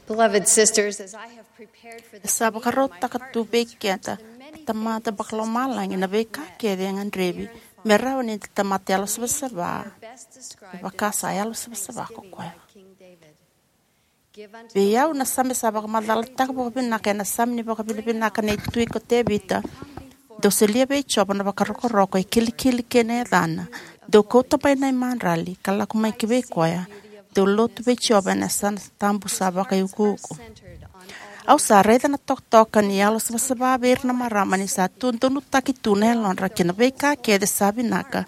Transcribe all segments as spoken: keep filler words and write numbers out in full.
Beloved sisters, as I have prepared for this, sa vakarautaka tu vei keda na Tamada Vakalomalagi na veika kece e gadrevi me rawa ni da tamata yalo savasava, me vaka sa yalo savasava ko koya. Vei au, na Same sa vakamacalataka vakavinaka ena Same ni vakavinavinaka nei Tui ko Tevita: Dou solia vei Jiova na vakarokoroko e kilikili kei na yacana. Dou kauta mai na imadrali ka lako mai ki vei koya. Dou lotu vei Jiova ena yasana tabu sa vakaiukuuku. Au sa raica na tokatoka ni yalo savasava vei ira na marama ni sa tu donutaki tu na yalodra ki na veika kece sa vinaka,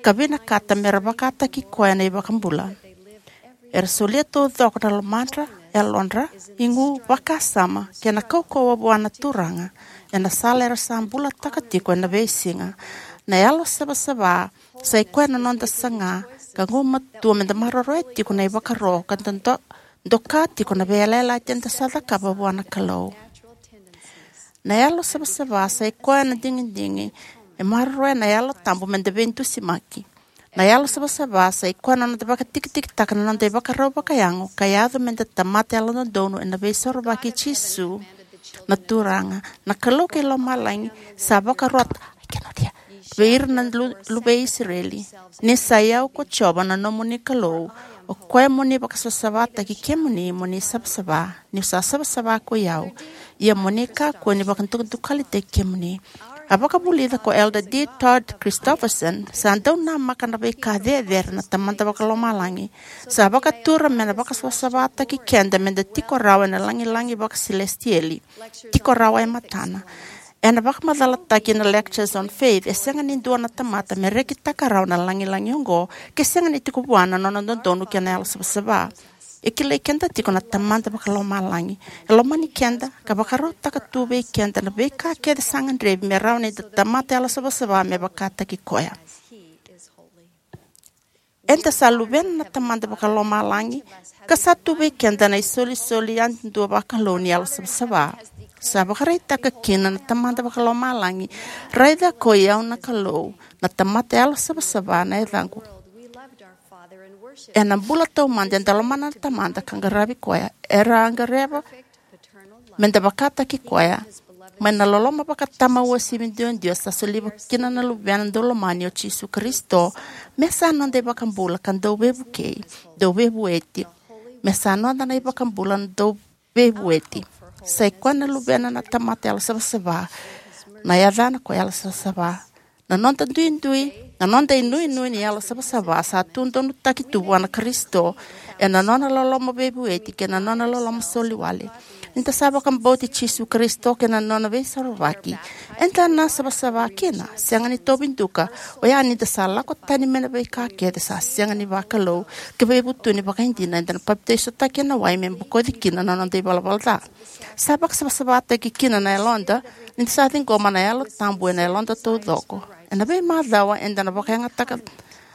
ka vinakata mera vakataki koya na iVakabula. Era solia taucoko na lomadra, yalodra, igu, vakasama kei na kaukauwa vua na Turaga ena sala era sa bulataka tiko ena veisiga. Na yalo savasava sa i koya na noda saga ka gumatua meda maroroya tiko na ivakaro ka da do-, doka tiko na veiyalayalati eda sa cakava vua na Kalou. Na yalo savasava sa i koya na digidigi e maroroya na Yalo Tabu meda veidusimaki. Na yalo savasava sa i koya na noda vakatikitikitaka na noda ivakarau vakayago ka yaco meda tamata yalododonu ena Veisorovaki i Jisu na Turaga. Na Kalou kei lomalagi sa vakarota, I cannot hear, vei ira na lu-, luve i Isireli: Ni sa i au ko Jiova na nomuni Kalou, o koya mo ni vakasavasavataki kemuni mo ni savasava, niu sa savasava ko i au, ia mo ni kakua ni vakadukadukalitaki kemuni. A vakavulica ko Elder D. Todd Christofferson: Sa dau namaka na veika cecere na Tamada Vakalomalagi. Sa vakatura me na vakasavasavataki keda meda tiko rawa ena lagilagi vakasilesitieli, tiko rawa e matana. Ena vakamacalataki na Lectures on Faith, e sega ni dua na tamata me rekitaka rawa na lagilagi oqo ke sega ni tiko vua na nona dodonu kei na yalo savasava. E kilai keda tiko na Tamada Vakalomalagi. E lomani keda ka vakarautaka tu vei keda na veika kece sa gadrevi me rawa ni da tamata yalo savasava me vakataki koya. Eda sa luvena na Tamada Vakalomalagi ka sa tu vei keda na isolisoli yadudua vakalou ni yalo savasava. Sa vakaraitaka kina na Tamada Vakalomalagi: Raica ko i au na Kalou, na tamata yalo savasava na yacaqu. Ena bula taumada eda lomana na Tamada ka qaravi koya. Era a gadreva meda vakataki koya mai na loloma vakatama uasivi duadua sa solia kina na Luvena daulomani o Jisu Karisito, me sa noda iVakabula ka Dauveivukei, Dauveivueti. Me sa noda na iVakabula na Dauveivueti. Sa i koya na Luvena na tamata yalo savasava, na yacana ko yalo savasava. Na noda duidui, na noda inuinui ni yalo savasava sa tu donutaki tu vua na Karisito ena nona loloma veivueti kei na nona loloma soliwale. Ni da sa vakabauti Jisu Karisito kei na nona Veisorovaki, eda na savasava kina, sega ni tauvi duka, oya ni da sa lako tani mai na veika kece sa sega ni vakalou, ka veivutuni vakaidina, eda na papitaisotaki ena wai me bokoci kina na noda ivalavala ca. Sa vakasavasavataki kina na yaloda ni da sa ciqoma na Yalo Tabu ena yaloda taucoko. Ena veimacawa eda na vakayagataka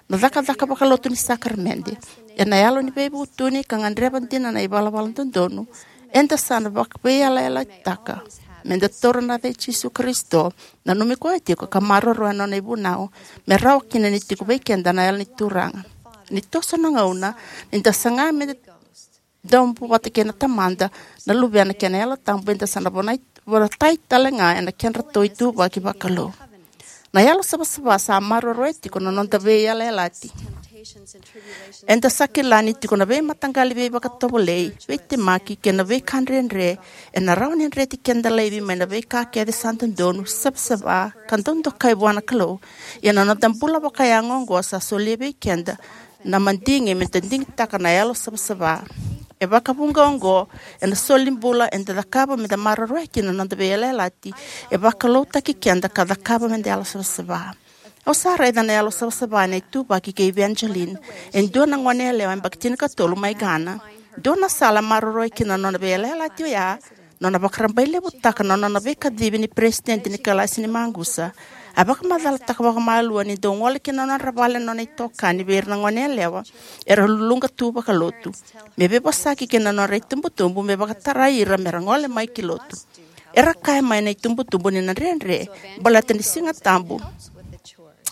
na cakacaka vakalotu ni sakaramede. Ena yalo ni veivutuni ka gadreva dina na ivalavala dodonu, eda sa na vakaveiyalayalataka meda taura na yaca i Jisu Karisito, nanumi koya tiko ka maroroya na nona ivunau, me rawa kina ni tiko vei keda na Yalo ni Turaga. Ni toso na gauna, ni da saga meda dau bula vata kei na Tamada, na Luvena kei na Yalo Tabu, eda sa na vonai, vonatai tale ga ena kedratou ituvaki vakalou. Na yalo savasava sa maroroya tiko na noda veiyalayalati. Eda sa kila ni tiko na veimataqali veivakatovolei, veitemaki kei na veika dredre ena rawa ni dreti keda laivi mai na veika kece sa dodonu, savasava ka dau dokai vua na Kalou. Ia na noda bula vakayago oqo sa solia vei keda na madigi meda digitaka na yalo savasava. E vakavuqa oqo ena soli bula eda cakava meda maroroya kina na noda veiyalayalati. E vakaloutaki keda ka cakava meda yalo savasava. Au sa raica na yalo savasava ena ituvaki kei Evangeline, e dua na goneyalewa yabaki tinikatolu mai Ghana. Dua na sala e maroroya kina na nona veiyalayalati oya nona vakarabailevutaka na nona veikacivi ni peresitedi ni kalasi ni maqusa. A vakamacalataka vakamalua ni dau gole ki na nodra vale na nona itokani vei ira na goneyalewa era luluqa tu vakalotu, me veivosaki kei na nodra itubutubu me vakatarai ira mera gole mai ki lotu. Era kaya mai na itubutubu ni na dredre baleta ni Siga Tabu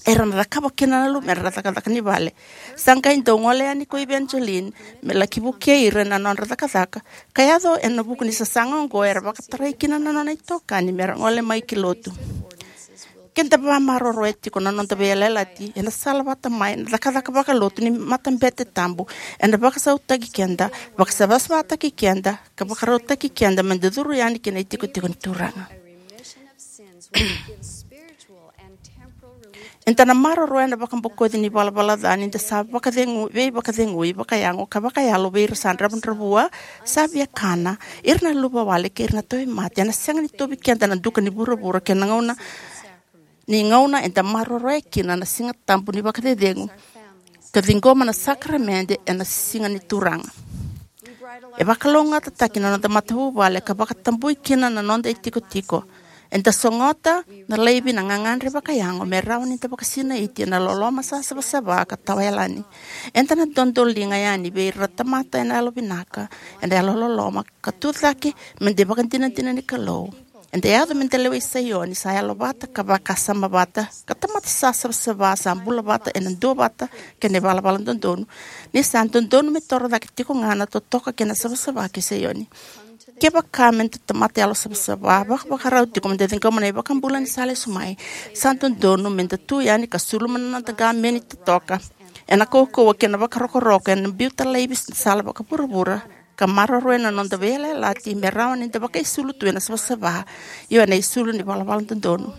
era na cakava kina na luvemudre na cakacaka ni vale. Sa qai dau gole yani ko Evangeline me laki vukei ira ena nodra cakacaka, ka yaco ena vuku ni sasaga oqo era vakatarai kina na nona itokani me ra gole mai ki lotu. Ke da vamaroroya tiko na noda veiyalayalati ena sala vata mai na cakacaka vakalotu ni matabete tabu, ena vakasautaki keda, vakasavasavataki keda, ka vakarautaki keda me da curu yani ki na itikotiko ni Turaga. Eda na maroroya na vakabokoci ni valavala ca ni da sa vakacegu, veivakacegui vakayago ka vakayalo vei ira sa dravudravua, sa viakana, ira na luvawale kei ira na tauvimate. Ena sega ni tauvi keda na duka ni vuravura kei na gauna ni gauna eda maroroya kina na Siga Tabu ni Vakacecegu ka ciqoma na sakaramede ena siga ni Turaga. E vakalougatataki na noda matavuvale ka vakatabui kina na noda itikotiko. Eda sogota na laivi na gagadre vakayago me rawa ni da vakasinaiti ena loloma sa savasava ka tawayalani. Eda na dodoliga yani vei ira na tamata ena yalovinaka, ena yalololoma, ka tucake me da ivakadinadina ni Kalou. Eda yaco me da lewe i Saioni sa yalovata ka vakasama vata, ka tamata sa savasava sa bula vata ena duavata kei na ivalavala dodonu. Ni sa dodonu me toro cake tiko ga na totoka kei na savasava kei Saioni. Kevaka me da tamata yalosavasava vakavakarau tiko me da ciqoma na iVakabula ni sa lesu mai, sa dodonu me da tu yani ka suluma na noda qameni totoka ena kaukauwa kei na vakarokoroko, ena biuta laivi na sala vakavuravura, ka maroroya na noda veiyalayalati me rawa ni da vakaisulu tu ena savasava, io ena isulu ni valavala dodonu.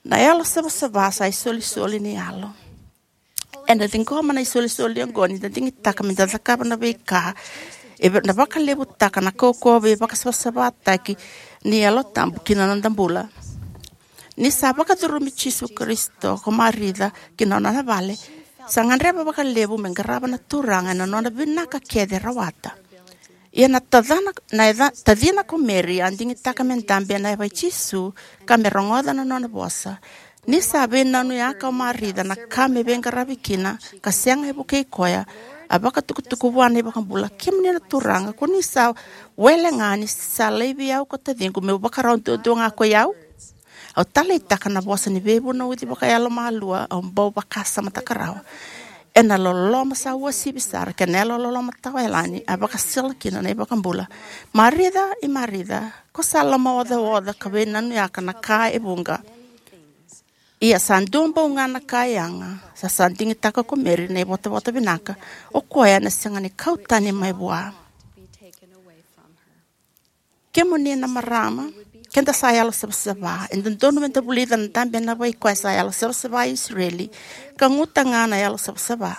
Na yalosavasava sa isolisoli ni yalo. Eda ciqoma na isolisoli oqo ni da digitaka me da cakava na veika e va-, na vakalevutaka na kaukauwa veivakasavasavataki ni Yalo Tabu ki na noda bula. Ni sa vakacurumi Jisu Karisito ko Marica ki na nona vale, sa gadreva vakalevu me qarava na Turaga ena nona vinaka kece e rawata. Ia na tacana, na yaca-, tacina ko Meri a digitaka me dabe ena yava i Jisu ka me rogoca na nona vosa. Ni sa veinanuyaka o Marica na ka me veiqaravi kina ka sega e vukei koya, a vakatukutuku vua na iVakabula: Kemuni na Turaga, ko ni sa wele ga ni sa laivi au ko taciqu meu vakarau duadua ga ko i au? Au taleitaka na vosa ni veivunauci vakayalomalua, au bau vakasamataka rawa. Ena loloma sa uasivi sara kei na yalololoma tawayalani, a vakasala kina na iVakabula: Marica, i Marica, ko sa lomaocaoca ka veinanuyaka na ka e vuqa. Ia sa dua bau ga na ka e yaga. Sa, sa digitaka ko Meri na ivotavota vinaka, o koya ena sega ni kau tani mai vua. Kemuni na marama, ke da sa yalosavasava, e dodonu me da vulica na dabe ena yava i koya sa yalosavasava e Isireli, ka guta ga na yalosavasava.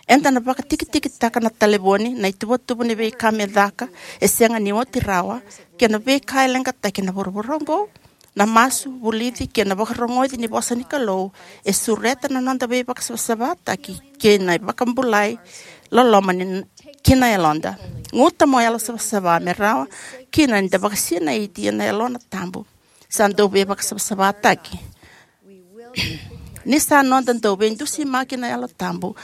Eda na vakatikitikitaka na talevoni, na ituvatuva ni veika me caka e sega ni oti rawa, kei na veika e leqataki ena vuravura oqo. Na masu, vulici kei na vakarogoci ni vosa ni Kalou e sureta na noda veivakasavasavataki kei na vakabulai loloma ni ki na yaloda. Guta mo yalosavasava me rawa kina ni da vakasinaiti ena Yalona Tabu. Sa dau veivakasavasavataki. Ni sa noda dau veidusimaki na Yalo Tabu,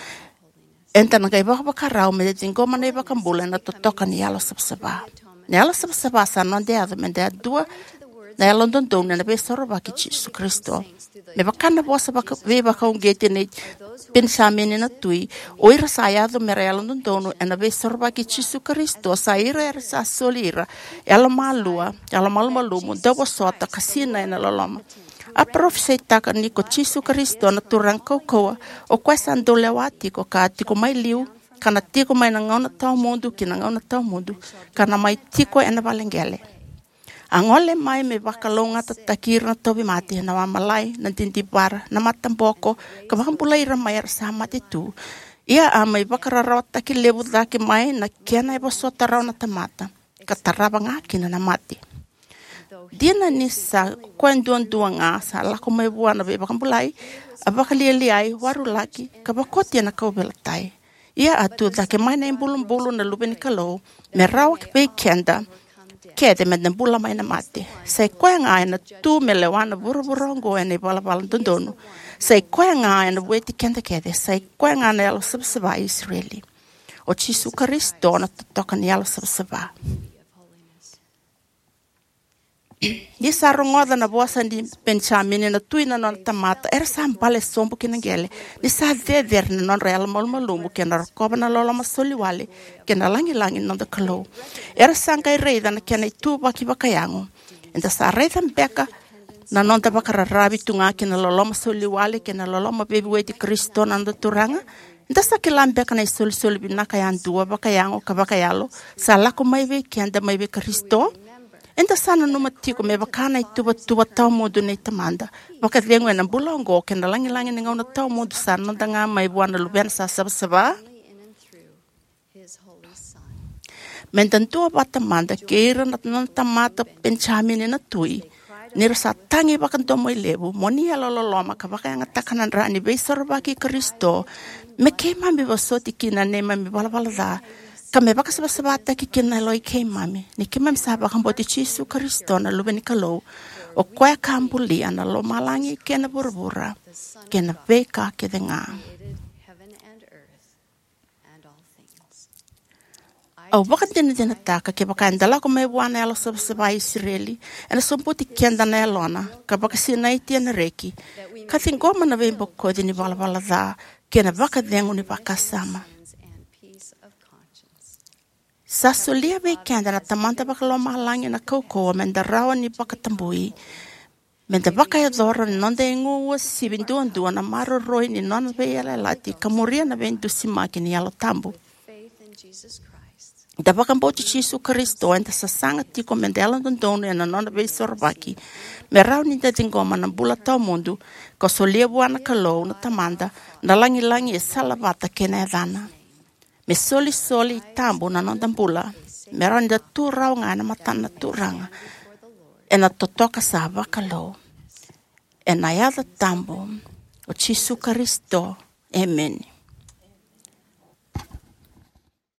eda na qai vakavakarau me da ciqoma na iVakabula ena totoka ni yalosavasava. Na yalosavasava sa noda yaco me da yadua na yalododonu ena Veisorovaki i Jisu Karisito. Me vaka na vosa vaka-, veivakauqeti nei Penisamini na tui, o ira sa yaco me ra yalododonu ena Veisorovaki i Jisu Karisito, sa ira era sa soli ira yalomalua, yalomalumalumu, dauvosota, ka sinai ena loloma. A parofisaitaka ni ko Jisu Karisito na Turaga kaukauwa, o koya sa dau lewa tiko, ka tiko mai liu, ka na tiko mai na gauna tawamudu ki na gauna tawamudu, ka na mai tiko ena vale qele. A gole mai me vakalougatataki ira na tauvimate, na wamalai, na didivara, na mataboko, ka vakabulai ira mai era sa mate tu. Ia a mai vakararawataki levu cake mai na kena e vosota rawa na tamata, ka tarava ga kina na mate. Dina ni sa koya duadua ga sa lako mai vua na veivakabulai, a vakalialiai, warulaki, ka vakoti ena kauveilatai. Ia a tu cake mai na ibulubulu na Luve ni Kalou, me rawa vei keda kece me da bula mai na mate. Sa i koya ga ena tu me lewa na vuravura oqo ena ivalavala dodonu. Sa i koya ga ena vueti keda kece. Sa i koya ga na Yalosavasava i Isireli. O Jisu Karisito na totoka ni yalosavasava. Ni sa rogoca na vosa ni Penijamini na tui na nona tamata, era sa bale sobu ki na qele, ni sa cecere na nodra yalomalumalumu kei na rokova na loloma soliwale kei na lagilagi ni noda Kalou. Era sa qai raica na kena ituvaki vakayago. Eda sa raica beka na noda vakararavi tu ga ki na loloma soliwale kei na loloma veivueti Karisito na noda Turaga? Eda sa kila beka na isolisoli vinaka yadua vakayago ka vakayalo sa lako mai vei keda mai vei Karisito? Eda sa nanuma tiko me vaka na ituvatuva tawamudu nei Tamada vakacegu ena bula oqo kei na lagilagi ni gauna tawamudu sa noda ga mai vua na Luvena sa savasava? Me da dua vata mada kei ira na nona tamata Penijamini na tui, ni ra sa tagi vakadomoilevu, mo ni yalololoma ka vakayagataka na dra ni veisorovaki i Karisito, me keimami vosoti kina na neimami valavala ca, ka me vakasavasavataki kina na yalo i keimami, ni keimami sa vakabauti Jisu Karisito na Luve ni Kalou, o koya ka bulia na lomalagi kei na vuravura kei na veika kece ga. Au vakadinadinataka kevaka eda lako mai vua na yalo savasava i Isireli, ena sobuti keda na yalona ka vakasinaiti ena reki, ka ciqoma na veibokoci ni valavala ca kei na vakacegu ni vakasama. Sa solia vei keda na Tamada Vakalomalagi na kaukauwa me da rawa ni vakatabui, me da vakayacora na noda igu uasivi duadua na maroroi ni nona veiyalayalati ka muria na veidusimaki ni Yalo Tabu. Da vakabauti Jisu Karisito, eda sasaga tiko me da yalododonu ena nona veisorovaki, me rawa ni da ciqoma na bula tawamudu ka solia vua na Kalou na Tamada na lagilagi e salavata kei na yacana. Me solisoli tabu na noda bula, me rawa ni da tu rawa ga ena matana na Turaga, ena totoka sa vakalou. Ena yaca tabu o Jisu Karisito, emeni.